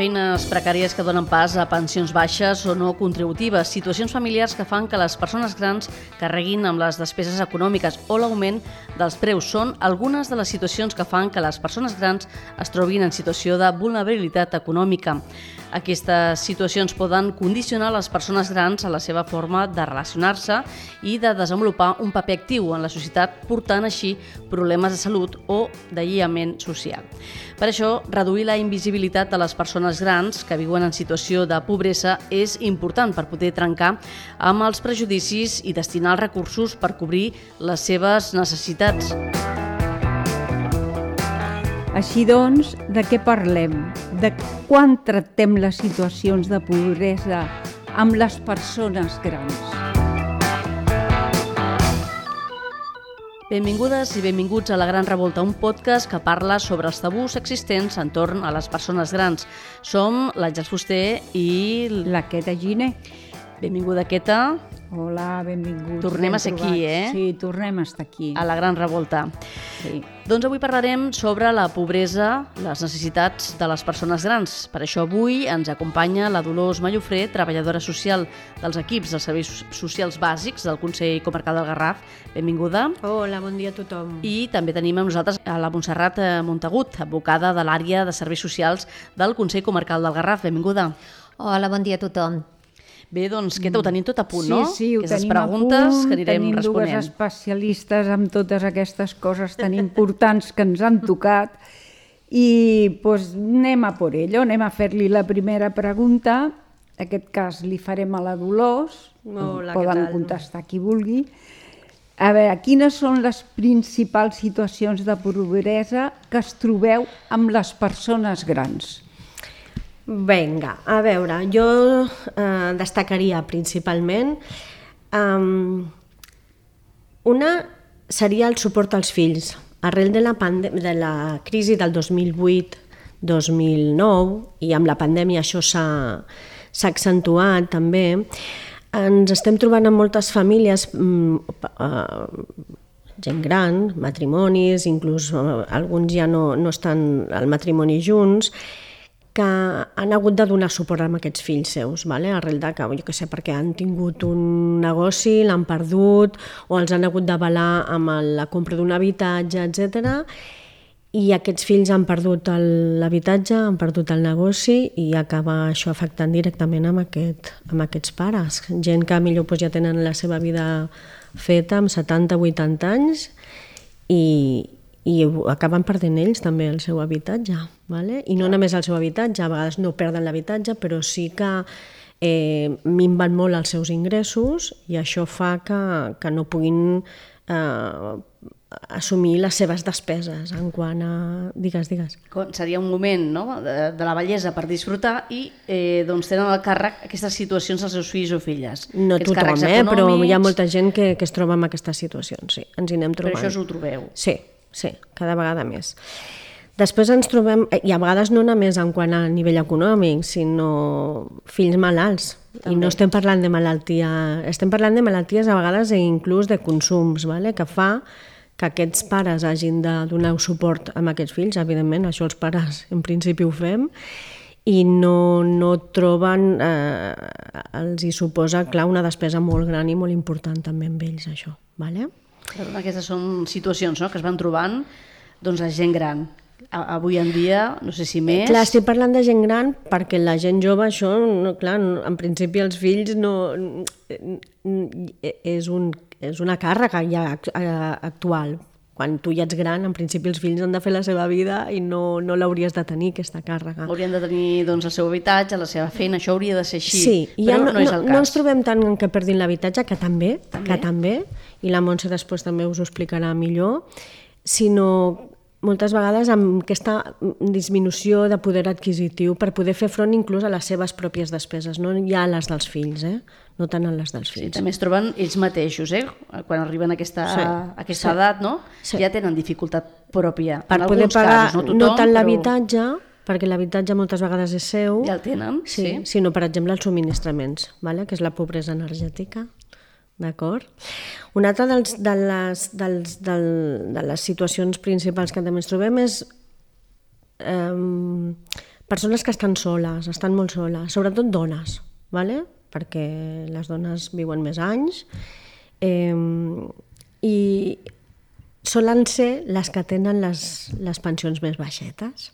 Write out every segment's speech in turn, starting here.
Feines precàries que donen pas a pensions baixes o no contributives, situacions familiars que fan que les persones grans carreguin amb les despeses econòmiques o l'augment dels preus són algunes de les situacions que fan que les persones grans es trobin en situació de vulnerabilitat econòmica. Aquestes situacions poden condicionar les persones grans a la seva forma de relacionar-se i de desenvolupar un paper actiu en la societat, portant així problemes de salut o d'aïllament social. Per això, reduir la invisibilitat de les persones grans que viuen en situació de pobresa és important per poder trencar amb els prejudicis i destinar els recursos per cobrir les seves necessitats. Així doncs, de què parlem? De quan tractem les situacions de pobresa amb les persones grans? Benvingudes i benvinguts a La Gran Revolta, un podcast que parla sobre els tabús existents entorn a les persones grans. Som l'Àngels Fuster i la Queta Giner. Benvinguda, Queta. Hola, benvinguts. Tornem a ser aquí, Sí, tornem a estar aquí. A La Gran Revolta. Sí. Doncs avui parlarem sobre la pobresa, les necessitats de les persones grans. Per això avui ens acompanya la Dolors Mallofré, treballadora social dels equips dels serveis socials bàsics del Consell Comarcal del Garraf. Benvinguda. Hola, bon dia a tothom. I també tenim amb nosaltres a la Montserrat Montagut, advocada de l'àrea de serveis socials del Consell Comarcal del Garraf. Benvinguda. Hola, bon dia a tothom. Bé, doncs, Queta, ho tenim tot a punt, no? Sí, ho aquestes tenim a preguntes punt, que anirem tenim responent. dues especialistes amb totes aquestes coses tan importants que ens han tocat i doncs, anem a por ello, anem a fer-li la primera pregunta. En aquest cas li farem a la Dolors, Hola, poden què tal? contestar qui vulgui. A veure, quines són les principals situacions de pobresa que es trobeu amb les persones grans? Vinga, a veure, jo destacaria principalment una seria el suport als fills. Arrel de la crisi del 2008-2009 i amb la pandèmia això s'ha accentuat també, ens estem trobant en moltes famílies gent gran, matrimonis, inclús alguns ja no estan al matrimoni junts, que han hagut de donar suport a aquests fills seus, arrel de que, jo què sé, perquè han tingut un negoci, l'han perdut, o els han hagut d'avalar amb la compra d'un habitatge, etc. I aquests fills han perdut l'habitatge, han perdut el negoci i acaba això afectant directament amb aquests pares. Gent que millor ja tenen la seva vida feta amb 70-80 anys i acaben perdent ells també el seu habitatge. I no només el seu habitatge, a vegades no perden l'habitatge, però sí que minven molt els seus ingressos i això fa que no puguin assumir les seves despeses en quant a... Digues. Seria un moment, no?, de la bellesa per disfrutar i doncs tenen al càrrec aquestes situacions als seus fills o filles. No tothom, però hi ha molta gent que es troba en aquestes situacions, sí, ens hi anem trobant. Però això us ho trobeu? Sí, cada vegada més. Després ens trobem, i a vegades no només en quant a nivell econòmic, sinó fills malalts. I no estem parlant de malaltia, estem parlant de malalties a vegades inclús de consums, que fa que aquests pares hagin de donar suport a aquests fills. Evidentment, això els pares en principi ho fem, i no troben, els hi suposa, clar, una despesa molt gran i molt important també amb ells, això. Aquestes són situacions, no?, que es van trobant la gent gran. Avui en dia, no sé si més... Clar, estic parlant de gent gran perquè la gent jove, això, clar, en principi els fills és una càrrega ja actual. Quan tu ja ets gran, en principi els fills han de fer la seva vida i no l'hauries de tenir, aquesta càrrega. Haurien de tenir el seu habitatge, la seva feina, això hauria de ser així, sí, però no és el cas. No ens trobem tant que perdin l'habitatge, que també, i la Montse després també us ho explicarà millor, sinó moltes vegades amb aquesta disminució de poder adquisitiu per poder fer front inclús a les seves pròpies despeses, no ja a les dels fills, no tant a les dels fills. Sí, també es troben ells mateixos, quan arriben a aquesta edat, no? Ja tenen dificultat pròpia. Per poder pagar no tant l'habitatge, perquè l'habitatge moltes vegades és seu, ja el tenen, sinó, per exemple, els subministraments, que és la pobresa energètica. D'acord? Una altra de les situacions principals que també ens trobem és persones que estan soles, estan molt soles, sobretot dones, ¿vale? Perquè les dones viuen més anys i solen ser les que tenen les pensions més baixetes.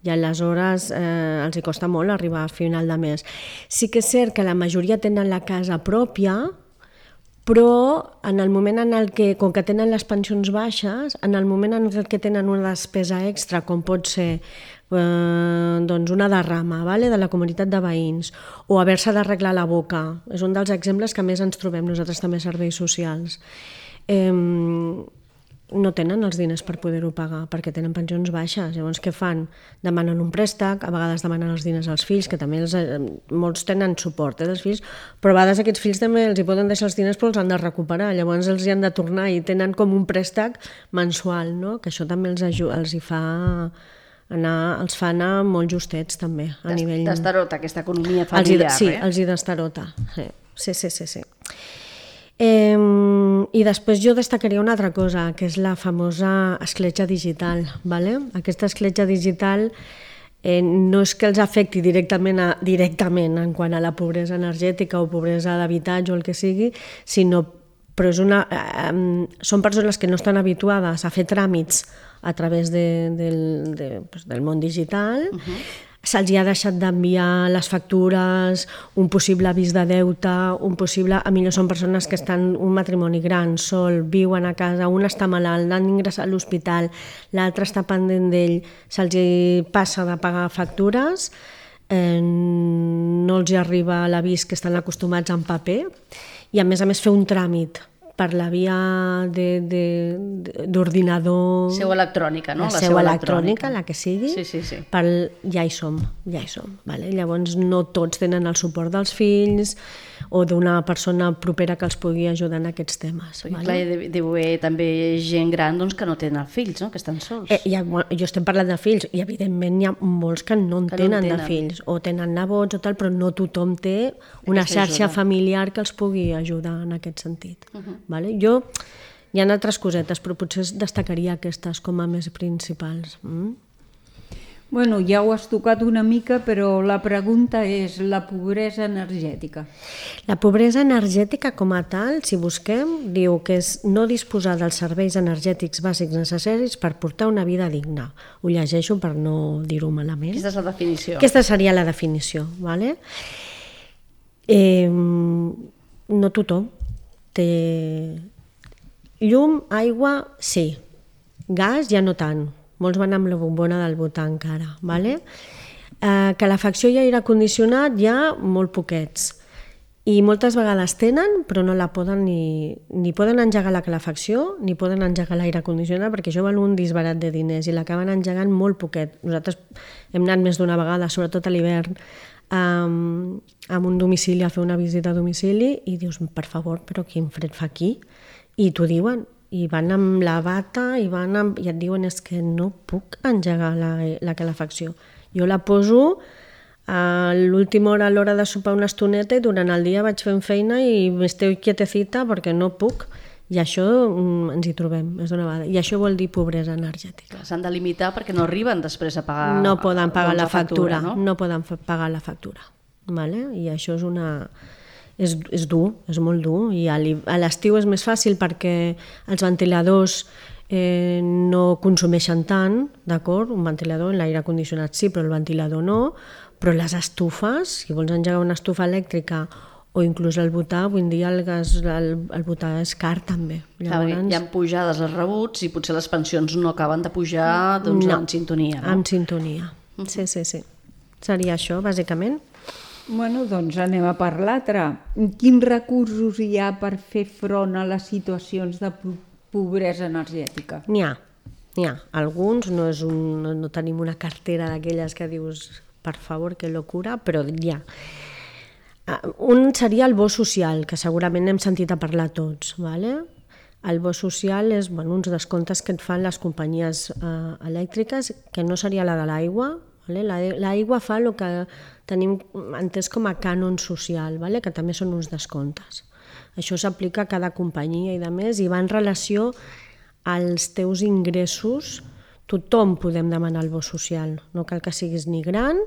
I aleshores els hi costa molt arribar a final de mes. Sí que és cert que la majoria tenen la casa pròpia, però en el moment en el que, com que tenen les pensions baixes, en el moment en el que tenen una despesa extra, com pot ser doncs una derrama, de la comunitat de veïns, o haver-se d'arreglar la boca, és un dels exemples que més ens trobem nosaltres també serveis socials, no tenen els diners per poder-ho pagar perquè tenen pensions baixes. Llavors què fan? Demanen un préstec, a vegades demanen els diners als fills, que també molts tenen suport dels fills, però a vegades aquests fills també els hi poden deixar els diners però els han de recuperar, llavors els hi han de tornar i tenen com un préstec mensual, no? Que això també els hi fa els fa anar molt justets també a nivell... Destarota aquesta economia familiar. Sí, els hi destarota. Sí. I després jo destacaria una altra cosa, que és la famosa escletxa digital. Aquesta escletxa digital no és que els afecti directament en quant a la pobresa energètica o pobresa d'habitatge o el que sigui, però són persones que no estan habituades a fer tràmits a través del món digital, se'ls ha deixat d'enviar les factures, un possible avís de deute, a millor són persones que estan un matrimoni gran, sol, viuen a casa, un està malalt, l'han d'ingressar a l'hospital, l'altre està pendent d'ell, se'ls passa de pagar factures, no els arriba l'avís que estan acostumats en paper i a més fer un tràmit per la via d'ordinador... Seu electrònica, no? La seu electrònica, la que sigui. Sí. Ja hi som. Llavors no tots tenen el suport dels fills o d'una persona propera que els pugui ajudar en aquests temes. Clar, deu haver també gent gran que no tenen fills, que estan sols. Jo estem parlant de fills i evidentment hi ha molts que no en tenen de fills o tenen nebots o tal, però no tothom té una xarxa familiar que els pugui ajudar en aquest sentit. Jo, hi ha altres cosetes, però potser destacaria aquestes com a més principals. Bueno, ja ho has tocat una mica, però la pregunta és la pobresa energètica. La pobresa energètica com a tal, si busquem, diu que és no disposar dels serveis energètics bàsics necessaris per portar una vida digna. Ho llegeixo per no dir-ho malament. Aquesta és la definició. Aquesta seria la definició. No tothom té llum, aigua, sí. Gas ja no tant. Molts van amb la bombona del butà encara. Calefacció i aire condicionat ja molt poquets. I moltes vegades tenen, però no la poden ni poden engegar la calefacció ni poden engegar l'aire condicionat perquè això val un disbarat de diners i l'acaben engegant molt poquet. Nosaltres hem anat més d'una vegada, sobretot a l'hivern, amb un domicili a fer una visita a domicili i dius, per favor, però quin fred fa aquí? I t'ho diuen, i van amb la bata i et diuen és que no puc engegar la calefacció. Jo la poso a l'última hora, a l'hora de sopar una estoneta i durant el dia vaig fent feina i m'esteu quietecita perquè no puc. I això ens hi trobem, és d'una vegada. I això vol dir pobresa energètica. S'han de limitar perquè no arriben després a pagar... No poden pagar la factura, no poden pagar la factura. I això és dur, és molt dur. I a l'estiu és més fàcil perquè els ventiladors no consumeixen tant, d'acord? Un ventilador, l'aire condicionat sí, però el ventilador no. Però les estufes, si vols engegar una estufa elèctrica o inclús el butà, avui en dia el butà és car també. Llavors... Hi ha pujades als rebuts i potser les pensions no acaben de pujar en sintonia. En sintonia, sí. Seria això, bàsicament. Bueno, doncs anem a per l'altre. Quins recursos hi ha per fer front a les situacions de pobresa energètica? N'hi ha. Alguns, no tenim una cartera d'aquelles que dius, per favor, que locura, però hi ha. Un seria el bo social, que segurament hem sentit a parlar tots. El bo social és uns descomptes que et fan les companyies elèctriques, que no seria la de l'aigua. L'aigua fa el que tenim entès com a cànon social, que també són uns descomptes. Això s'aplica a cada companyia i de més, i va en relació als teus ingressos tothom podem demanar el bo social, no cal que siguis ni gran,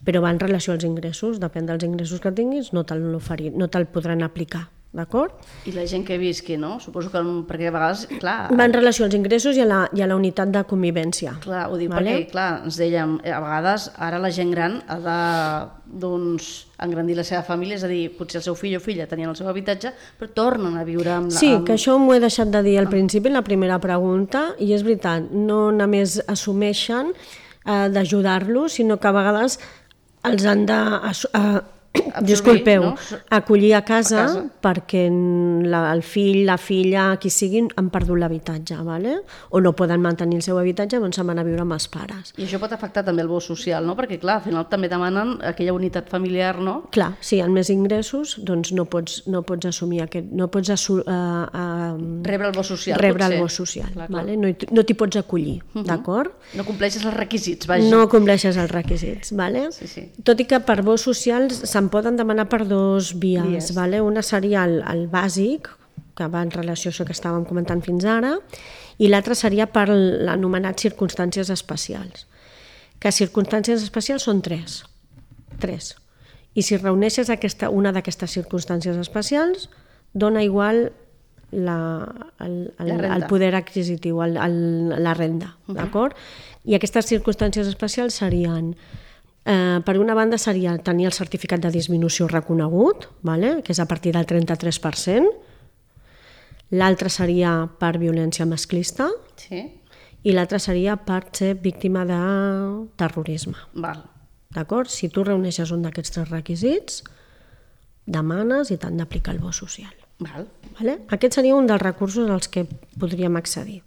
però va en relació als ingressos, depèn dels ingressos que tinguis, no te'l podran aplicar. D'acord? I la gent que visqui, no? Suposo que perquè a vegades, clar... Va en relació als ingressos i a la unitat de convivència. Clar, ho dic perquè, clar, ens dèiem, a vegades ara la gent gran ha de, doncs, engrandir la seva família, és a dir, potser el seu fill o filla tenien el seu habitatge, però tornen a viure amb... Sí, que això m'ho he deixat de dir al principi, en la primera pregunta, i és veritat, no només assumeixen d'ajudar-los, sinó que a vegades els han de... Disculpeu, no? Acollir a casa perquè el fill, la filla, qui siguin, han perdut l'habitatge, ¿vale? O no poden mantenir el seu habitatge, doncs se'n van a viure amb els pares. I això pot afectar també el bo social, no? Perquè, clar, al final també demanen aquella unitat familiar, no? Clar, si hi ha més ingressos, doncs no pots assumir aquest... No pots rebre el bo social, rebre potser. El bo social, clar. ¿Vale? No t'hi pots acollir, d'acord? No compleixes els requisits, vaja. No compleixes els requisits, ¿vale? Sí. Tot i que per bo socials se'n poden demanar per dues vies. ¿Vale? Una seria el bàsic, que va en relació a això que estàvem comentant fins ara, i l'altra seria per l'anomenat circumstàncies especials. Que circumstàncies especials són tres. I si reuneixes una d'aquestes circumstàncies especials, dona igual el poder adquisitiu, la renda. D'acord? I aquestes circumstàncies especials serien... per una banda seria tenir el certificat de disminució reconegut, ¿vale? Que és a partir del 33%. L'altre seria per violència masclista. Sí. I l'altre seria per ser víctima de terrorisme. Val. D'acord? Si tu reuneixes un d'aquests tres requisits, demanes i t'han d'aplicar el bo social. Val. Vale? Aquest seria un dels recursos als que podríem accedir.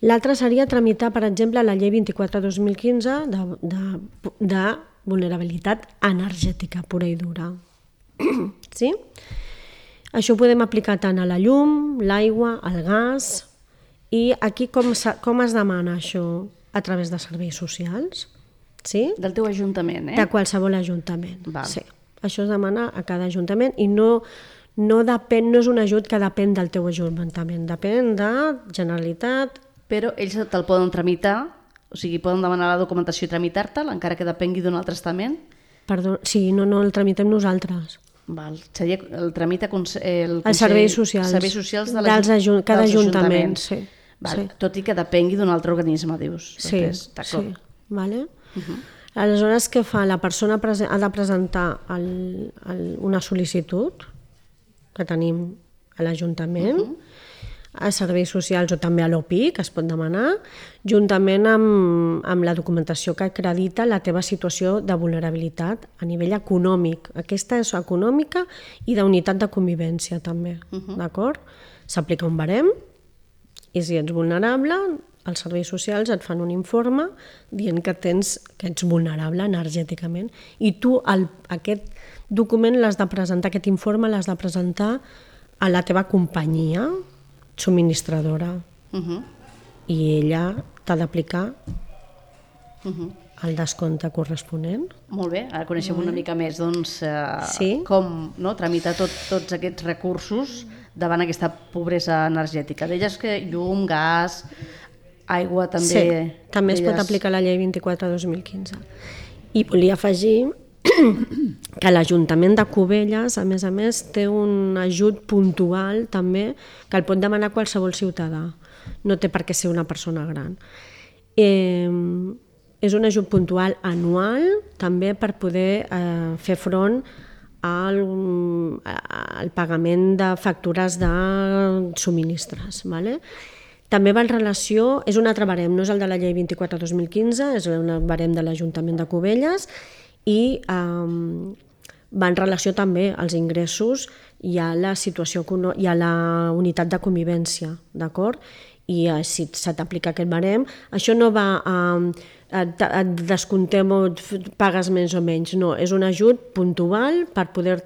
L'altre seria tramitar, per exemple, la llei 24/2015 de vulnerabilitat energètica pura i dura. Sí? Això ho podem aplicar tant a la llum, l'aigua, al gas. I aquí com es demana això? A través de serveis socials. Sí? Del teu ajuntament, De qualsevol ajuntament. Val. Sí. Això es demana a cada ajuntament i no és un ajut que depèn del teu ajuntament, depèn de Generalitat. Però ells te'l poden tramitar, o sigui, poden demanar la documentació i tramitar-te'l, encara que depengui d'un altre estament? Perdó, sí, no el tramitem nosaltres. Val. Seria el tramita el Els serveis socials. Serveis socials de cada ajuntament, sí. Val. Sí. Tot i que depengui d'un altre organisme, dius. Sí, sí. Vale. Aleshores, què fa? La persona ha de presentar una sol·licitud que tenim a l'Ajuntament, a serveis socials o també a l'OPI, que es pot demanar, juntament amb la documentació que acredita la teva situació de vulnerabilitat a nivell econòmic. Aquesta és econòmica i d'unitat de convivència també, d'acord? S'aplica un barem i si ets vulnerable, els serveis socials et fan un informe dient que ets vulnerable energèticament i tu aquest document l'has de presentar, aquest informe l'has de presentar a la teva companyia subministradora i ella t'ha d'aplicar el descompte corresponent. Molt bé, ara coneixem una mica més doncs, Sí. com tramitar tots aquests recursos davant aquesta pobresa energètica. Deies que llum, gas, aigua també... Sí, també es pot aplicar la llei 24/2015. I volia afegir que l'Ajuntament de Cubelles, a més, té un ajut puntual també que el pot demanar qualsevol ciutadà. No té per què ser una persona gran. És un ajut puntual anual també per poder fer front al pagament de factures de subministres. Vale? També va en relació, és un altre barem, no és el de la llei 24/2015, és un barem de l'Ajuntament de Cubelles i va en relació també als ingressos i a la situació i a la unitat de convivència, d'acord? I si se t'aplica aquest barem, això no va et descomptem o pagues més o menys, no, és un ajut puntual per poder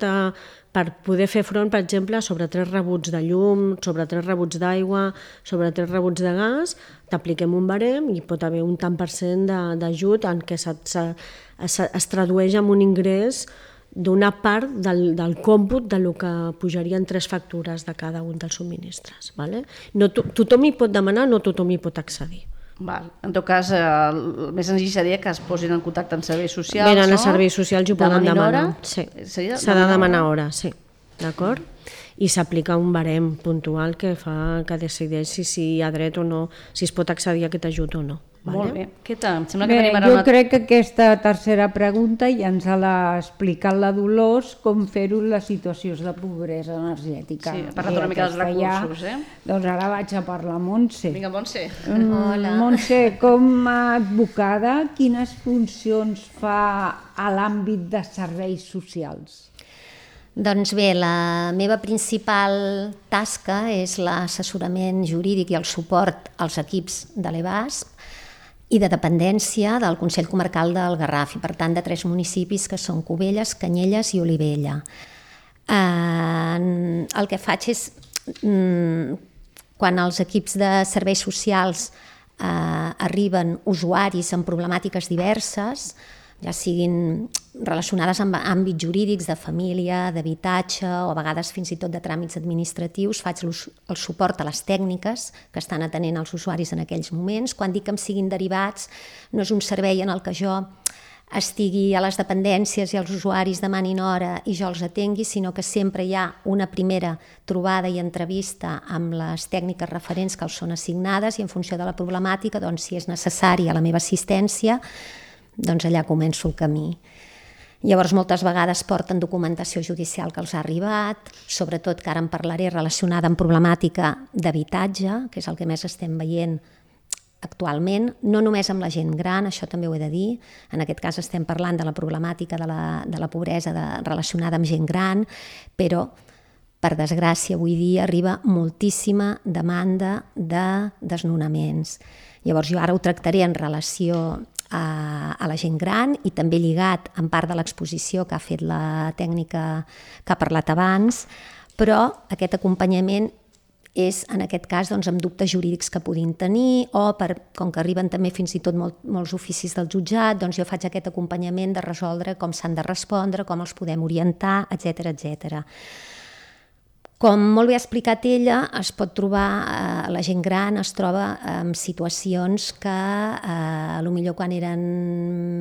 fer front, per exemple, sobre 3 rebuts de llum, sobre 3 rebuts d'aigua, sobre 3 rebuts de gas, t'apliquem un barem i pot haver un tant per cent d'ajut en què es tradueix en un ingrés d'una part del còmput del que pujarien 3 factures de cada un dels subministres. Vale? No, tothom hi pot demanar, no tothom hi pot accedir. Val. En tot cas, el més senzill seria que es posin en contacte amb serveis socials, Venen no? a serveis socials i ho poden demanar. Sí. S'ha de demanar hora, sí. D'acord? I s'aplica un barem puntual que fa que decideixi si hi ha dret o no, si es pot accedir a aquest ajut o no. Molt bé. Em sembla que Bé, tenim ara jo crec que aquesta tercera pregunta ja ens l'ha explicat la Dolors, com fer-ho en les situacions de pobresa energètica. Sí, ha parlat una mica dels recursos, Doncs ara vaig a parlar a Montse. Vinga, Montse. Hola. Montse, com a advocada, quines funcions fa a l'àmbit de serveis socials? Doncs bé, la meva principal tasca és l'assessorament jurídic i el suport als equips de l'EBASP i de dependència del Consell Comarcal del Garraf, i per tant de 3 municipis que són Cubelles, Canyelles i Olivella. El que faig és, quan als equips de serveis socials arriben usuaris amb problemàtiques diverses, ja siguin relacionades amb àmbits jurídics, de família, d'habitatge o a vegades fins i tot de tràmits administratius, faig el suport a les tècniques que estan atenent els usuaris en aquells moments. Quan dic que em siguin derivats, no és un servei en el que jo estigui a les dependències i els usuaris demanin hora i jo els atengui, sinó que sempre hi ha una primera trobada i entrevista amb les tècniques referents que els són assignades i en funció de la problemàtica, doncs, si és necessària la meva assistència, doncs allà començo el camí. Llavors, moltes vegades porten documentació judicial que els ha arribat, sobretot que ara en parlaré relacionada amb problemàtica d'habitatge, que és el que més estem veient actualment, no només amb la gent gran, això també ho he de dir, en aquest cas estem parlant de la problemàtica de la pobresa relacionada amb gent gran, però, per desgràcia, avui dia arriba moltíssima demanda de desnonaments. Llavors, jo ara ho tractaré en relació a la gent gran i també lligat en part de l'exposició que ha fet la tècnica que ha parlat abans, però aquest acompanyament és, en aquest cas, doncs, amb dubtes jurídics que puguin tenir o, com que arriben també fins i tot molts oficis del jutjat, doncs jo faig aquest acompanyament de resoldre com s'han de respondre, com els podem orientar, etc etc. Com molt bé ha explicat ella, es pot trobar, la gent gran es troba en situacions que potser quan eren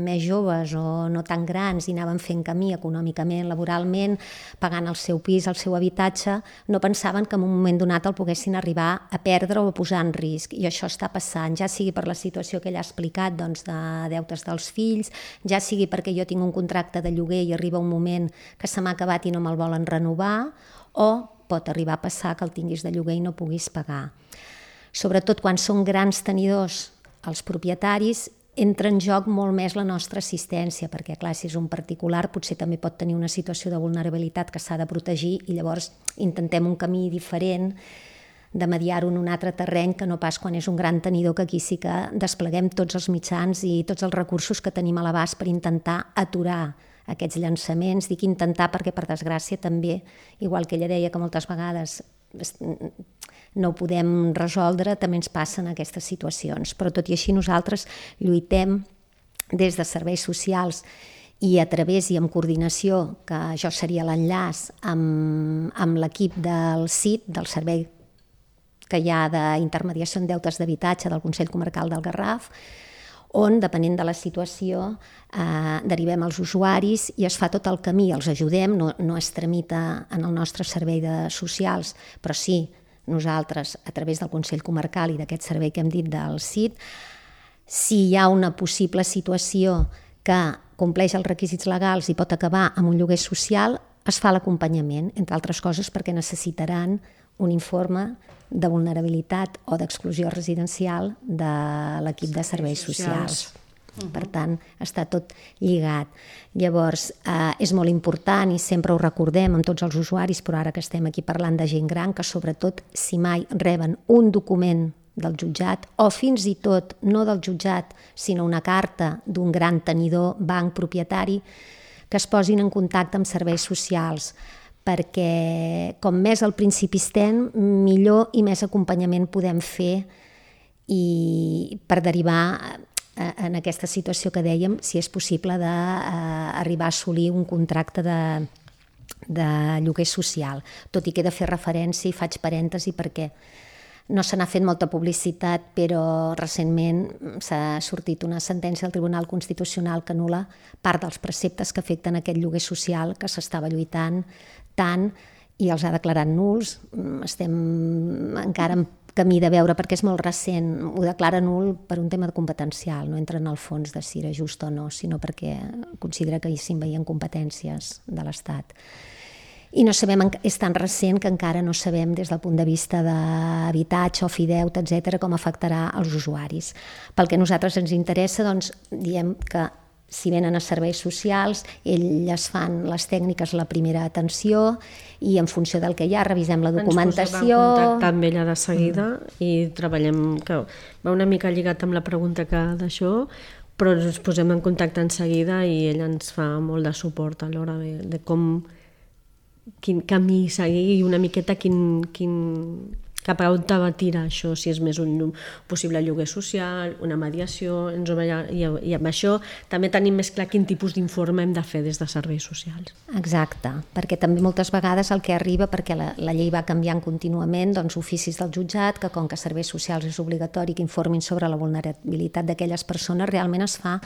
més joves o no tan grans i anaven fent camí econòmicament, laboralment, pagant el seu pis, el seu habitatge, no pensaven que en un moment donat el poguessin arribar a perdre o a posar en risc. I això està passant, ja sigui per la situació que ella ha explicat, doncs, de deutes dels fills, ja sigui perquè jo tinc un contracte de lloguer i arriba un moment que se m'ha acabat i no me'l volen renovar, o pot arribar a passar que el tinguis de lloguer i no puguis pagar. Sobretot quan són grans tenidors, els propietaris, entra en joc molt més la nostra assistència, perquè clar, si és un particular potser també pot tenir una situació de vulnerabilitat que s'ha de protegir i llavors intentem un camí diferent de mediar-ho en un altre terreny que no pas quan és un gran tenidor, que aquí sí que despleguem tots els mitjans i tots els recursos que tenim a l'abast per intentar aturar aquests llançaments. Dic intentar perquè, per desgràcia, també, igual que ella deia que moltes vegades no ho podem resoldre, també ens passen aquestes situacions. Però tot i així nosaltres lluitem des de serveis socials i a través i amb coordinació, que això seria l'enllaç amb l'equip del CIT, del Servei que hi ha d'intermediació en deutes d'habitatge del Consell Comarcal del Garraf, on, depenent de la situació, derivem els usuaris i es fa tot el camí, els ajudem, no es tramita en el nostre servei de socials, però sí, nosaltres, a través del Consell Comarcal i d'aquest servei que hem dit del CIT, si hi ha una possible situació que compleix els requisits legals i pot acabar amb un lloguer social, es fa l'acompanyament, entre altres coses perquè necessitaran un informe de vulnerabilitat o d'exclusió residencial de l'equip de serveis socials. Per tant, està tot lligat. Llavors, és molt important i sempre ho recordem amb tots els usuaris, però ara que estem aquí parlant de gent gran, que sobretot si mai reben un document del jutjat o fins i tot no del jutjat, sinó una carta d'un gran tenidor, banc, propietari, que es posin en contacte amb serveis socials, perquè com més al principi estem, millor i més acompanyament podem fer i per derivar en aquesta situació que dèiem, si és possible d'arribar a assolir un contracte de lloguer social. Tot i que he de fer referència i faig parèntesi perquè No se n'ha fet molta publicitat, però recentment s'ha sortit una sentència del Tribunal Constitucional que anul·la part dels preceptes que afecten aquest lloguer social que s'estava lluitant tant i els ha declarat nuls. Estem encara en camí de veure, perquè és molt recent, ho declara nul per un tema competencial, no entra en el fons de si era just o no, sinó perquè considera que hi s'envaïen competències de l'Estat. I no sabem, és tan recent que encara no sabem des del punt de vista d'habitatge, ofideute, etc., com afectarà als usuaris. Pel que a nosaltres ens interessa, doncs, diem que si venen a serveis socials, elles fan les tècniques, la primera atenció, i en funció del que hi ha revisem la documentació. Ens posem en contacte amb ella de seguida i treballem, que va una mica lligat amb la pregunta d'això, però ens posem en contacte en seguida i ella ens fa molt de suport a l'hora de com quin camí seguir i una miqueta cap a on va tirar això, si és més un possible lloguer social, una mediació, i amb això també tenim més clar quin tipus d'informe hem de fer des de serveis socials. Exacte, perquè també moltes vegades el que arriba, perquè la llei va canviant contínuament, doncs oficis del jutjat, que com que serveis socials és obligatori que informin sobre la vulnerabilitat d'aquelles persones, realment es fa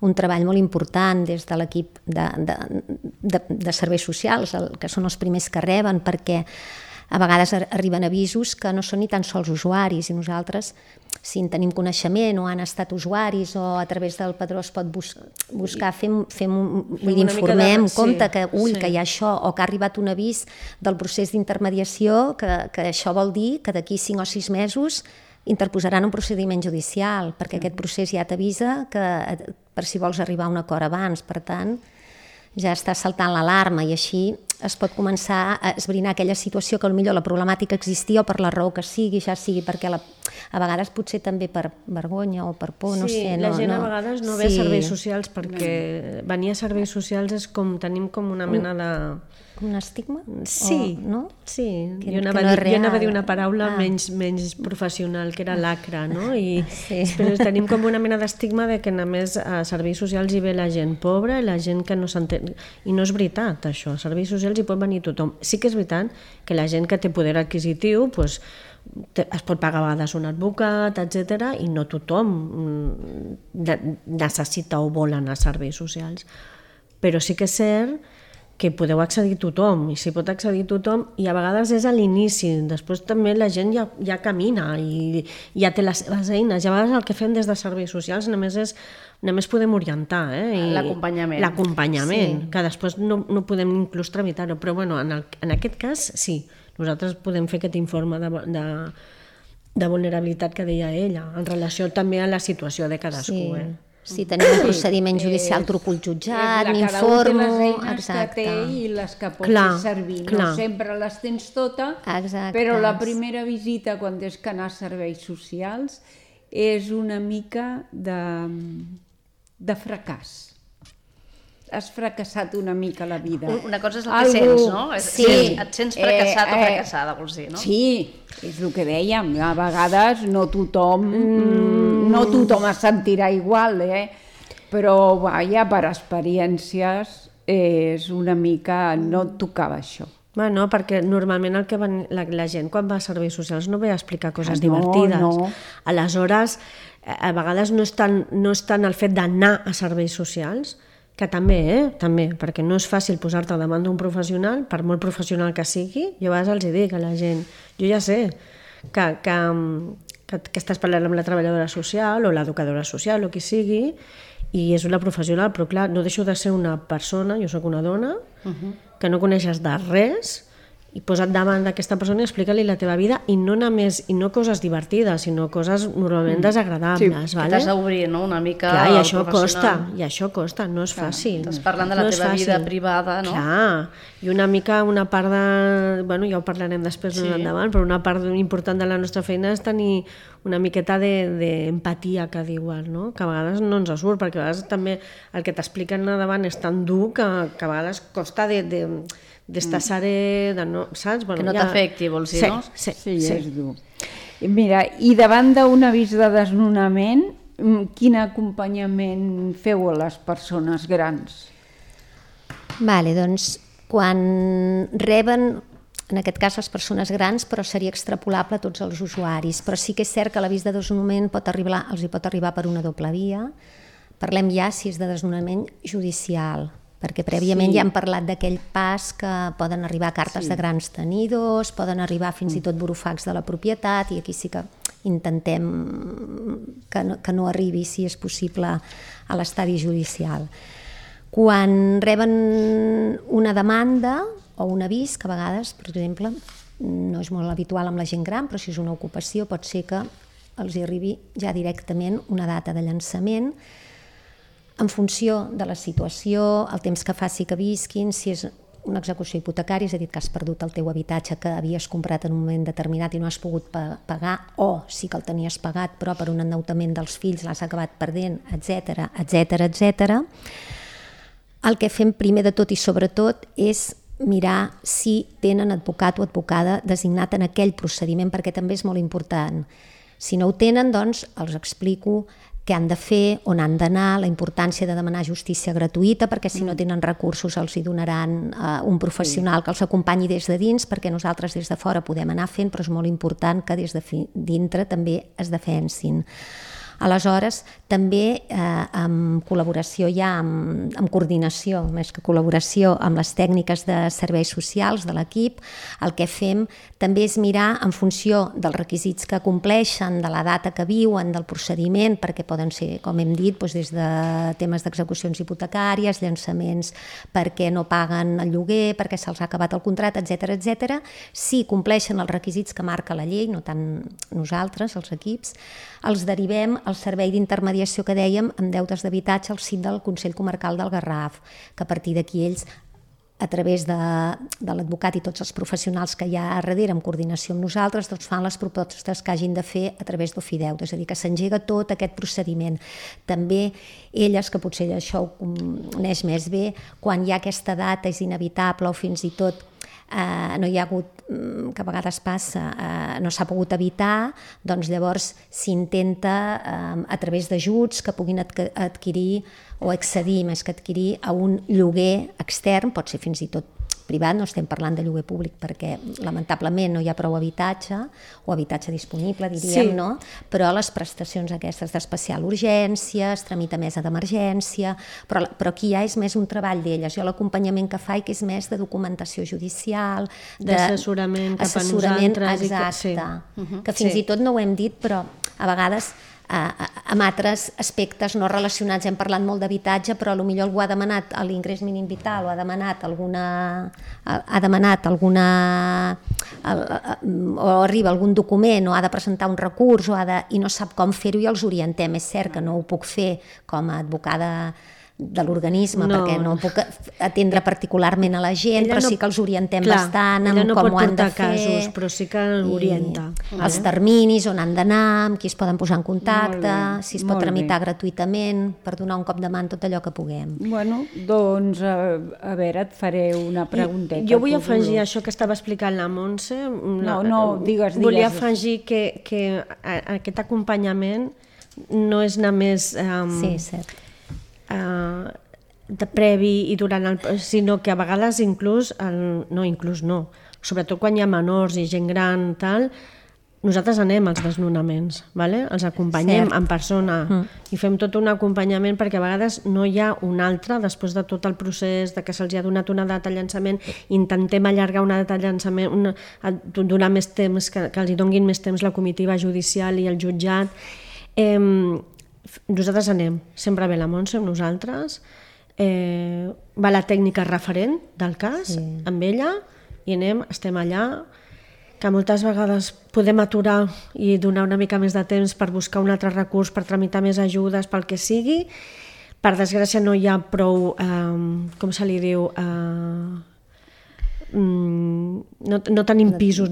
un treball molt important des de l'equip de serveis socials, que són els primers que reben, perquè a vegades arriben avisos que no són ni tan sols usuaris, i nosaltres, si en tenim coneixement o han estat usuaris o a través del padró es pot buscar, informem, compte que hi ha això, o que ha arribat un avís del procés d'intermediació, que això vol dir que d'aquí 5 o 6 mesos interposaran un procediment judicial, perquè aquest procés ja t'avisa per si vols arribar a un acord abans. Per tant, ja està saltant l'alarma i així es pot començar a esbrinar aquella situació que potser la problemàtica existia o per la raó que sigui, ja sigui perquè a vegades potser també per vergonya o per por, no sé. Sí, la gent a vegades no ve a serveis socials perquè venir a serveis socials és com tenim com una mena de... Un estigma? Sí, no? Sí. Jo anava a dir una paraula menys professional, que era lacra, no? Però tenim com una mena d'estigma de que només a serveis socials hi ve la gent pobra i la gent que no s'entén. I no és veritat, això. A serveis socials hi pot venir tothom. Sí que és veritat que la gent que té poder adquisitiu es pot pagar a vegades un advocat, etc., i no tothom necessita o vol anar a serveis socials. Però sí que és cert que podeu accedir tothom, i si pot accedir tothom, i a vegades és a l'inici, després també la gent ja camina i ja té les seves eines, i a vegades el que fem des de serveis socials només podem orientar, l'acompanyament, que després no podem inclús tramitar-ho, però bueno, en aquest cas sí, nosaltres podem fer aquest informe de vulnerabilitat que deia ella, en relació també a la situació de cadascú. Si tenim un procediment judicial, truco al jutjat, m'informo... Cada un té les eines que té i les que pot fer servir. No sempre les tens totes, però la primera visita, quan tens que anar a serveis socials, és una mica de fracàs. Has fracassat una mica la vida. Una cosa és el que sents, no? Sí. Et sents fracassat o fracassada, vols dir, no? Sí, és el que dèiem. A vegades no tothom es sentirà igual, però per experiències és una mica... No et tocava això. No, perquè normalment la gent quan va a serveis socials no ve a explicar coses divertides. No. Aleshores, a vegades no és tant el fet d'anar a serveis socials, que també, perquè no és fàcil posar-te davant d'un professional, per molt professional que sigui. Jo a vegades els dic a la gent, jo ja sé que estàs parlant amb la treballadora social o l'educadora social o qui sigui, i és una professional, però clar, no deixo de ser una persona, jo sóc una dona, que no coneixes de res, i posa't davant d'aquesta persona i explica-li la teva vida, i no coses divertides, sinó coses normalment desagradables. Que t'has d'obrir, no?, una mica al professional. I això costa, no és fàcil. Estàs parlant de la teva vida privada, no? Clar, i una mica una part de... ja ho parlarem després endavant, però una part important de la nostra feina és tenir una miqueta d'empatia, que diuen, no? Que a vegades no ens surt, perquè a vegades també el que t'expliquen davant és tan dur que a vegades costa d'estar serè, saps? Que no t'afecti, vols dir, no? Sí, és dur. Mira, i davant d'un avís de desnonament, quin acompanyament feu a les persones grans? Doncs quan reben en aquest cas les persones grans, però seria extrapolable a tots els usuaris. Però sí que és cert que l'avís de desnonament els hi pot arribar per una doble via. Parlem ja si és de desnonament judicial, perquè prèviament ja hem parlat d'aquell pas que poden arribar cartes de grans tenidors, poden arribar fins i tot burofax de la propietat, i aquí sí que intentem que no arribi, si és possible, a l'estadi judicial. Quan reben una demanda o un avís, que a vegades, per exemple, no és molt habitual amb la gent gran, però si és una ocupació pot ser que els hi arribi ja directament una data de llançament en funció de la situació, el temps que faci que visquin, si és una execució hipotecària, és a dir, que has perdut el teu habitatge que havies comprat en un moment determinat i no has pogut pagar, o sí que el tenies pagat però per un endeutament dels fills l'has acabat perdent, etc, etc, etc. El que fem primer de tot i sobretot és mirar si tenen advocat o advocada designat en aquell procediment, perquè també és molt important. Si no ho tenen, doncs els explico què han de fer, on han d'anar, la importància de demanar justícia gratuïta, perquè si no tenen recursos els hi donaran un professional que els acompanyi des de dins, perquè nosaltres des de fora podem anar fent, però és molt important que des de dintre també es defensin. Aleshores, també en col·laboració ja, en coordinació, més que col·laboració amb les tècniques de serveis socials de l'equip, el que fem també és mirar en funció dels requisits que compleixen, de la data que viuen, del procediment, perquè poden ser, com hem dit, des de temes d'execucions hipotecàries, llançaments perquè no paguen el lloguer, perquè se'ls ha acabat el contracte, etc etc. Si compleixen els requisits que marca la llei, no tant nosaltres, els equips, els derivem al servei d'intermediació que dèiem en deutes d'habitatge al CIT del Consell Comarcal del Garraf, que a partir d'aquí ells, a través de l'advocat i tots els professionals que hi ha a darrere en coordinació amb nosaltres, doncs fan les propostes que hagin de fer a través d'Ofideute, és a dir, que s'engega tot aquest procediment. També elles, que potser això ho coneix més bé, quan hi ha aquesta data és inevitable o fins i tot no hi ha hagut, que a vegades passa, no s'ha pogut evitar, doncs llavors s'intenta a través d'ajuts que puguin adquirir o accedir, més que adquirir, a un lloguer extern, pot ser fins i tot privat, no estem parlant de lloguer públic perquè lamentablement no hi ha prou habitatge o habitatge disponible, diríem, no? Però les prestacions aquestes d'especial urgència, es tramita mesa d'emergència, però aquí ja és més un treball d'elles. Jo l'acompanyament que faig és més de documentació judicial, d'assessorament cap a nosaltres. Exacte, que fins i tot no ho hem dit, però a vegades amb altres aspectes no relacionats. Hem parlat molt d'habitatge, però potser algú ha demanat l'ingrés mínim vital o ha demanat o arriba algun document o ha de presentar un recurs i no sap com fer-ho i els orientem. És cert que no ho puc fer com a advocada de l'organisme, perquè no puc atendre particularment a la gent, però sí que els orientem bastant en com ho han de fer. Casos, però sí que l'orienta. Els terminis, on han d'anar, amb qui es poden posar en contacte, si es pot tramitar gratuïtament, per donar un cop de mà en tot allò que puguem. Bueno, doncs, a veure, et faré una pregunteta. Jo vull afegir això que estava explicant la Montse. No, digues. Volia afegir que aquest acompanyament no és només... Sí, cert. De previ i durant sinó que a vegades sobretot quan hi ha menors i gent gran tal, nosaltres anem als desnonaments, vale? Els acompanyem en persona i fem tot un acompanyament, perquè a vegades no hi ha un altre, després de tot el procés de que se'ls ha donat una data de llançament, intentem allargar una data de llançament, donar més temps, que els hi donguin més temps la comitiva judicial i el jutjat. Nosaltres anem, sempre ve la Montse amb nosaltres, va la tècnica referent del cas amb ella i anem, estem allà, que moltes vegades podem aturar i donar una mica més de temps per buscar un altre recurs, per tramitar més ajudes, pel que sigui. Per desgràcia no hi ha prou, com se li diu, no tenim pisos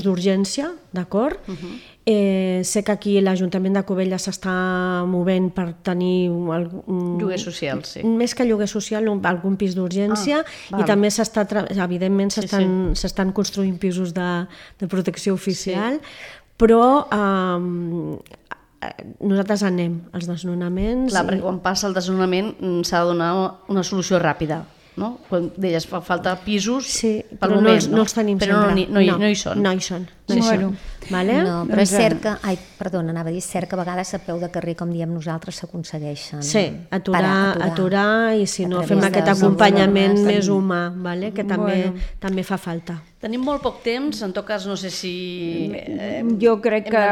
d'urgència, d'acord? Sé que aquí l'Ajuntament de Cubelles s'està movent per tenir lloguer social, sí. Més que lloguer social, algun pis d'urgència, i també evidentment s'estan construint pisos de protecció oficial, però nosaltres anem als desnonaments. Clar, perquè quan passa el desnonament s'ha de donar una solució ràpida. no? Quan deies fa falta pisos pel moment, no els tenim però sempre. no hi són. No hi són. Vale? No, però és cert que, anava a dir, és cert que a vegades a peu de carrer, com diem nosaltres, s'aconsegueixen. Sí, aturar i si no fem aquest acompanyament més humà, vale? Que també fa falta. Tenim molt poc temps, en tot cas no sé si... Jo crec que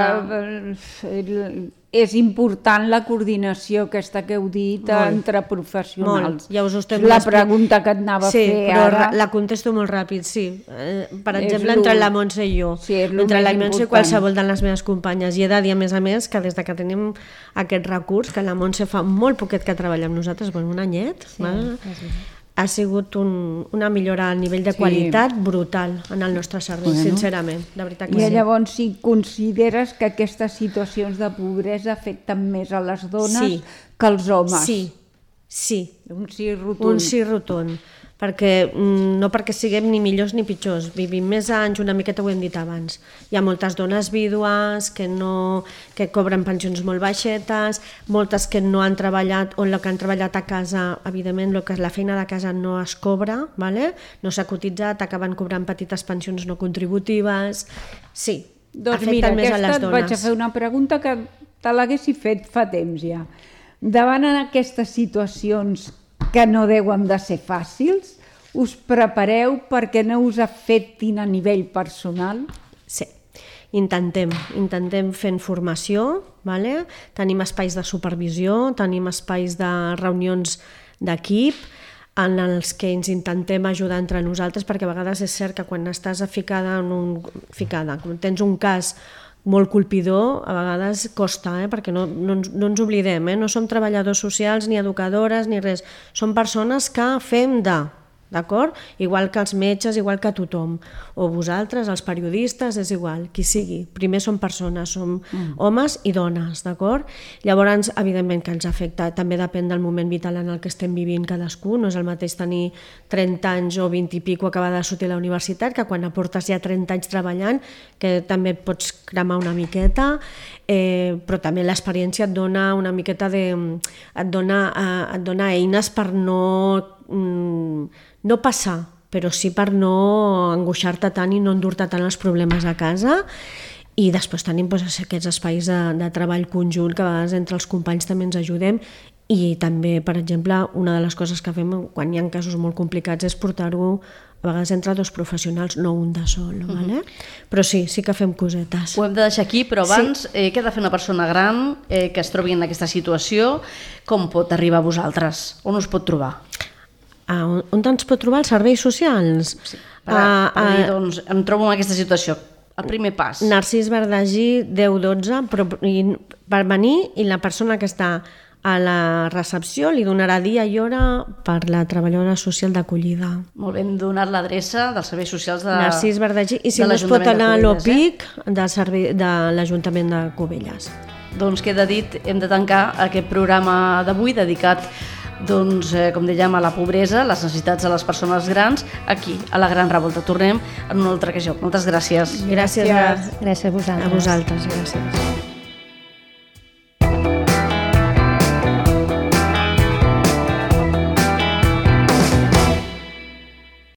és important la coordinació aquesta que heu dit entre professionals. Ja us estem la pregunta que et anava a fer ara. Sí, però la contesto molt ràpid, sí. Per exemple, entre la Montse i jo. Sí, entre la Montse i qualsevol de les meves companyes. I he de dir, a més, que des que tenim aquest recurs, que la Montse fa molt poquet que treballa amb nosaltres, un anyet, ha sigut una millora a nivell de qualitat brutal en el nostre servei, sincerament, de veritat que sí. I llavors, si consideres que aquestes situacions de pobresa afecten més a les dones que als homes? Sí. Un sí rotund. Un sí rotund. No perquè siguem ni millors ni pitjors, vivim més anys, una miqueta ho hem dit abans. Hi ha moltes dones vídues que cobren pensions molt baixetes, moltes que no han treballat o que han treballat a casa, evidentment la feina de casa no es cobra, no s'ha cotitzat, acaben cobrant petites pensions no contributives. Sí, afecten més a les dones. Vaig a fer una pregunta que te l'haguessi fet fa temps ja. Davant d'aquestes situacions que no deuen de ser fàcils, us prepareu perquè no us afectin a nivell personal? Sí, intentem fent formació, tenim espais de supervisió, tenim espais de reunions d'equip en els que ens intentem ajudar entre nosaltres, perquè a vegades és cert que quan estàs quan tens un cas molt colpidor, a vegades costa, perquè no ens oblidem, no som treballadors socials, ni educadores, ni res. Som persones que fem d'acord? Igual que els metges, igual que tothom. O vosaltres, els periodistes, és igual, qui sigui. Primer som persones, som homes i dones, d'acord? Llavors, evidentment que ens afecta, també depèn del moment vital en el que estem vivint cadascú, no és el mateix tenir 30 anys o 20 i pico acabar de sortir a la universitat, que quan aportes ja 30 anys treballant, que també et pots cremar una miqueta, però també l'experiència et dona una miqueta et dona eines per no passar, però sí per no angoixar-te tant i no endur-te tant els problemes a casa. I després tenim aquests espais de treball conjunt que a vegades entre els companys també ens ajudem, i també, per exemple, una de les coses que fem quan hi ha casos molt complicats és portar-ho a vegades entre dos professionals, no un de sol, però sí que fem cosetes. Ho hem de deixar aquí, però abans, què ha de fer una persona gran que es trobi en aquesta situació? Com pot arribar a vosaltres? On us pot trobar? On ens pot trobar els serveis socials? Sí, per dir, doncs, em trobo en aquesta situació. El primer pas. Narcís Verdagí 1012, per venir, i la persona que està a la recepció li donarà dia i hora per la treballadora social d'acollida. Molt bé, hem donat l'adreça dels serveis socials de Narcís Verdagí, i si no es pot anar a l'OPIC de l'Ajuntament de Cubelles. Doncs queda dit, hem de tancar aquest programa d'avui dedicat, doncs, com dèiem, a la pobresa, les necessitats de les persones grans, aquí, a la Gran Revolta. Tornem en un altre ocasió. Moltes gràcies. Gràcies a vosaltres. A vosaltres, gràcies.